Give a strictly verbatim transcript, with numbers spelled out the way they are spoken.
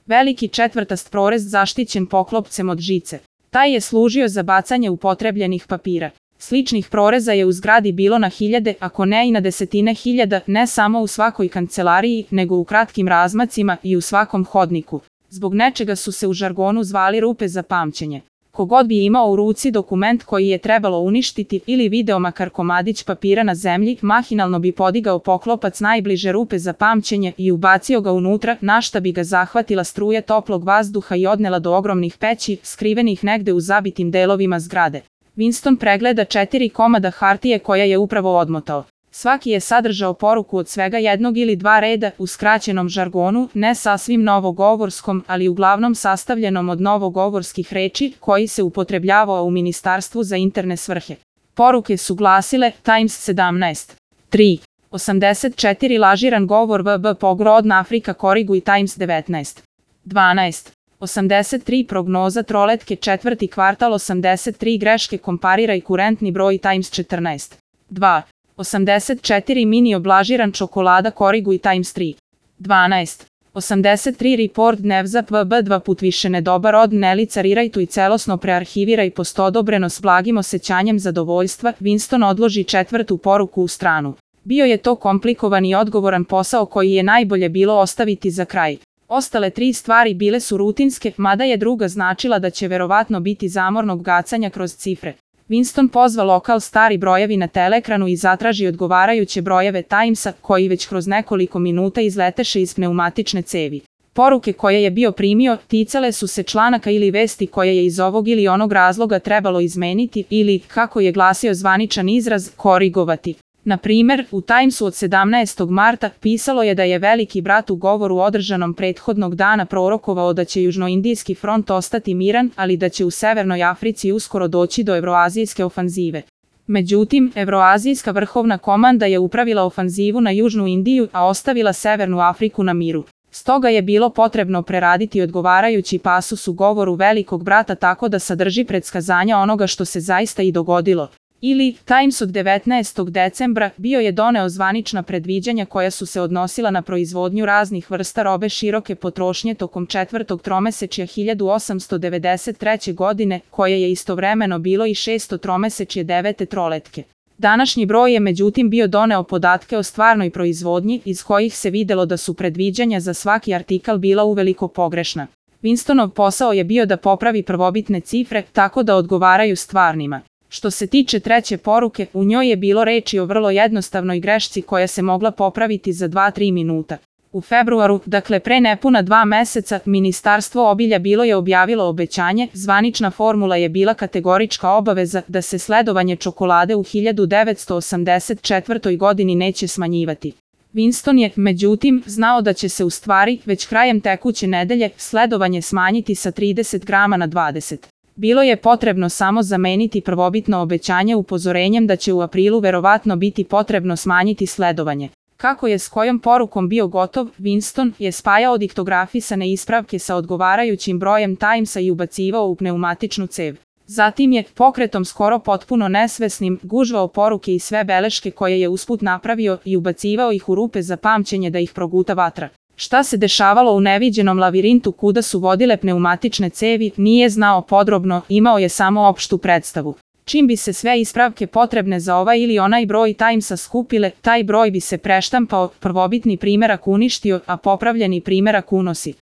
Veliki četvrtast prorez zaštićen poklopcem od žice. Taj je služio za bacanje upotrebljenih papira. Sličnih proreza je u zgradi bilo na hiljade, ako ne i na desetine hiljada, ne samo u svakoj kancelariji, nego u kratkim razmacima i u svakom hodniku. Zbog nečega su se u žargonu zvali rupe za pamćenje. Kogod bi imao u ruci dokument koji je trebalo uništiti ili video makar komadić papira na zemlji, mahinalno bi podigao poklopac najbliže rupe za pamćenje i ubacio ga unutra, na šta bi ga zahvatila struja toplog vazduha i odnela do ogromnih peći, skrivenih negde u zabitim delovima zgrade. Winston pregleda četiri komada hartije koja je upravo odmotao. Svaki je sadržao poruku od svega jednog ili dva reda u skraćenom žargonu, ne sasvim novogovorskom, ali uglavnom sastavljenom od novogovorskih reči koji se upotrebljavao u Ministarstvu za interne svrhe. Poruke su glasile Times sedamnaest. tri. osamdeset četiri lažiran govor V B pogrodna Afrika koriguj Times devetnaest. dvanaest. osamdeset tri prognoza troletke četvrti kvartal osamdeset tri greške kompariraj kurentni broj Times četrnaest. dva. osamdeset četiri mini oblažiran čokolada koriguj Times tri. dvanaest. osamdeset tri report dnevza V B dva put više nedobar od ne licariraj tu i celosno prearhiviraj postodobreno s blagim osjećanjem zadovoljstva, Winston odloži četvrtu poruku u stranu. Bio je to komplikovan i odgovoran posao koji je najbolje bilo ostaviti za kraj. Ostale tri stvari bile su rutinske, mada je druga značila da će verovatno biti zamornog gacanja kroz cifre. Winston pozva lokal stari brojevi na teleekranu i zatraži odgovarajuće brojeve Timesa, koji već kroz nekoliko minuta izleteše iz pneumatične cevi. Poruke koje je bio primio ticale su se članaka ili vesti koje je iz ovog ili onog razloga trebalo izmeniti ili, kako je glasio zvaničan izraz, korigovati. Na primer, u Timesu od sedamnaestog marta pisalo je da je Veliki brat u govoru održanom prethodnog dana prorokovao da će južnoindijski front ostati miran, ali da će u Severnoj Africi uskoro doći do evroazijske ofanzive. Međutim, evroazijska vrhovna komanda je upravila ofanzivu na Južnu Indiju, a ostavila Severnu Afriku na miru. Stoga je bilo potrebno preraditi odgovarajući pasus u govoru Velikog brata tako da sadrži predskazanja onoga što se zaista i dogodilo. Ili, Times od devetnaestog decembra bio je doneo zvanična predviđanja koja su se odnosila na proizvodnju raznih vrsta robe široke potrošnje tokom četvrtog tromesečja hiljadu osamsto devedeset treće. godine, koje je istovremeno bilo i šesto tromesečje devete troletke. Današnji broj je međutim bio doneo podatke o stvarnoj proizvodnji, iz kojih se videlo da su predviđanja za svaki artikal bila uveliko pogrešna. Winstonov posao je bio da popravi prvobitne cifre tako da odgovaraju stvarnima. Što se tiče treće poruke, u njoj je bilo reči o vrlo jednostavnoj grešci koja se mogla popraviti za dva do tri minuta. U februaru, dakle pre nepuna dva meseca, Ministarstvo obilja bilo je objavilo obećanje, zvanična formula je bila kategorička obaveza da se sledovanje čokolade u hiljadu devetsto osamdeset četvrtoj. godini neće smanjivati. Winston je, međutim, znao da će se u stvari, već krajem tekuće nedelje, sledovanje smanjiti sa trideset grama na dvadeset. Bilo je potrebno samo zameniti prvobitno obećanje upozorenjem da će u aprilu verovatno biti potrebno smanjiti sledovanje. Kako je s kojom porukom bio gotov, Winston je spajao diktografisane ispravke sa odgovarajućim brojem Timesa i ubacivao u pneumatičnu cev. Zatim je, pokretom skoro potpuno nesvesnim, gužvao poruke i sve beleške koje je usput napravio i ubacivao ih u rupe za pamćenje da ih proguta vatra. Šta se dešavalo u neviđenom lavirintu kuda su vodile pneumatične cevi, nije znao podrobno, imao je samo opštu predstavu. Čim bi se sve ispravke potrebne za ovaj ili onaj broj Timesa skupile, taj broj bi se preštampao, prvobitni primerak uništio, a popravljeni primerak unosi.